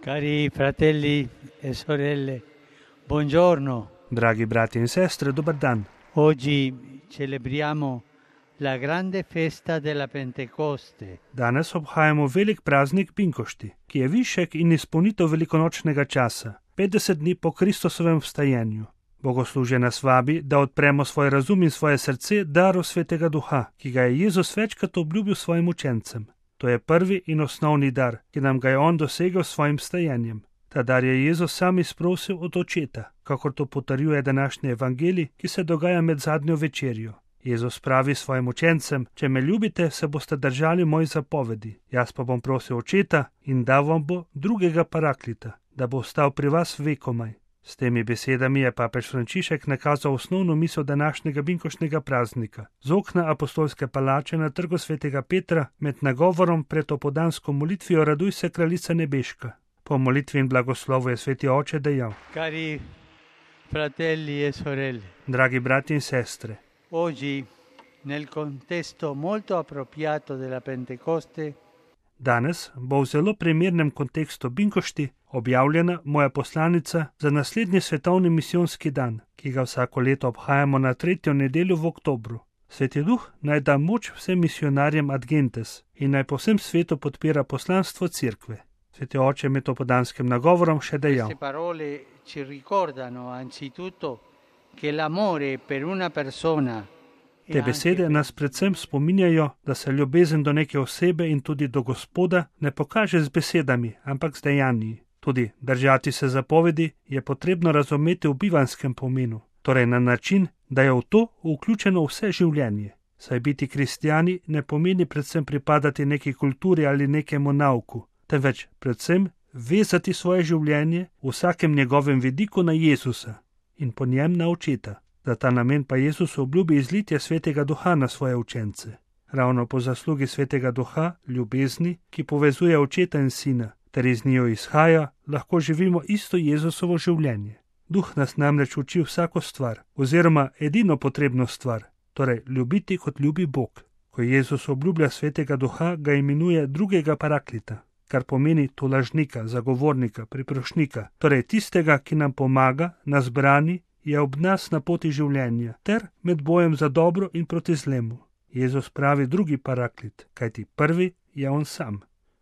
Cari fratelli e sorelle, buongiorno. Dragi brati in sestre, dobar dan. Oggi celebriamo la grande festa della Pentecoste. Danes obhajamo velik praznik Pinkošti, ki je višek in izpolnitev velikonočnega časa, 50 dni po Kristusovem vstajenju. Bogoslužje nas vabi, da odpremo svoj razum in svoje srce daru Svetega Duha, ki ga je Jezus večkrat obljubil svojim učencem. To je prvi in osnovni dar, ki nam ga je on dosegel s svojim vstajenjem. Ta dar je Jezus sam izprosil od Očeta, kakor to potrjuje današnji evangelij, ki se dogaja med zadnjo večerjo. Jezus pravi svojim učencem: če me ljubite, se boste držali mojih zapovedi. Jaz pa bom prosil Očeta in dal vam bo drugega paraklita, da bo ostal pri vas vekomaj. S temi besedami je papež Frančišek nakazal osnovno misel današnjega binkoštnega praznika. Z okna apostolske palače na trgu svetega Petra med nagovorom pred opoldansko molitvijo Raduj se, kraljica nebeška. Po molitvi in blagoslovu je sveti oče dejal: Cari fratelli e sorelle, dragi brati in sestre, oggi nel contesto molto appropriato della Pentecoste danes bo v zelo primernem kontekstu binkošti objavljena moja poslanica za naslednji svetovni misijonski dan, ki ga vsako leto obhajamo na 3. nedeljo v oktobru. Sveti Duh naj da moč vsem misionarjem ad gentes in naj po vsem svetu podpira poslanstvo Cerkve. Sveti oče med opoldanskim nagovorom še dejal: Queste parole ci ricordano anzitutto che l'amore per una persona Te besede nas predvsem spominjajo, da se ljubezen do neke osebe in tudi do Gospoda ne pokaže z besedami, ampak z dejanji. Tudi držati se zapovedi je potrebno razumeti v bivanskem pomenu, torej na način, da je v to vključeno vse življenje. Saj biti kristjani ne pomeni predvsem pripadati neki kulturi ali nekemu nauku, temveč predvsem vezati svoje življenje v vsakem njegovem vidiku na Jezusa in po njem na Očeta. Za ta namen pa Jezus obljubi izlitje Svetega Duha na svoje učence. Ravno po zaslugi Svetega Duha, ljubezni, ki povezuje Očeta in Sina, ter iz njo izhaja, lahko živimo isto Jezusovo življenje. Duh nas namreč uči vsako stvar, oziroma edino potrebno stvar, torej ljubiti kot ljubi Bog. Ko Jezus obljublja Svetega Duha, ga imenuje drugega paraklita, kar pomeni tolažnika, zagovornika, priprošnika, torej tistega, ki nam pomaga, nas brani, je ob nas na poti življenja, ter med bojem za dobro in proti zlemu. Jezus pravi drugi paraklit, kajti prvi je on sam,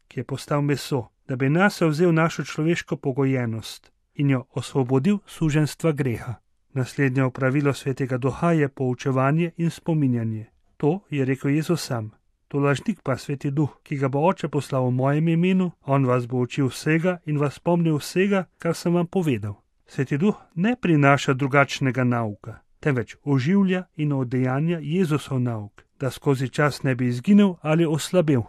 ki je postal meso, da bi nase vzel našo človeško pogojenost in jo osvobodil suženstva greha. Naslednje opravilo Svetega Duha je poučevanje in spominjanje. To je rekel Jezus sam. Tolažnik pa Sveti Duh, ki ga bo Oče poslal v mojem imenu, on vas bo učil vsega in vas spomnil vsega, kar sem vam povedal. Sveti Duh ne prinaša drugačnega nauka, temveč oživlja in oddejanja Jezusov nauk, da skozi čas ne bi izginil ali oslabel.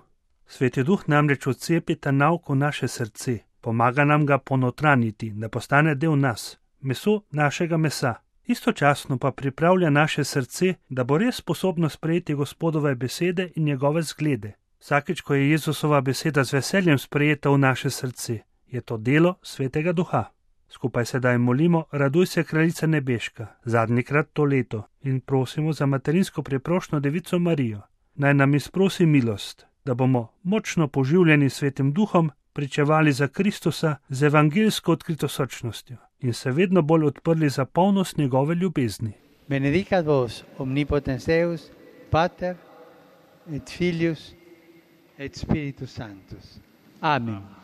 Sveti Duh namreč odcepi ta nauk v naše srce, pomaga nam ga ponotraniti, da postane del nas, meso našega mesa. Istočasno pa pripravlja naše srce, da bo res sposobno sprejeti Gospodove besede in njegove zglede. Vsakič, ko je Jezusova beseda z veseljem sprejeta v naše srce, je to delo Svetega Duha. Skupaj sedaj molimo Raduj se, kraljica nebeška, zadnjikrat to leto, in prosimo za materinsko preprošno Devico Marijo. Naj nam izprosi milost, da bomo močno poživljeni Svetim Duhom pričevali za Kristusa z evangeljsko odkritosrčnostjo in se vedno bolj odprli za polnost njegove ljubezni. Benedicat vos omnipotens Deus, Pater et Filius et Spiritus Sanctus. Amen.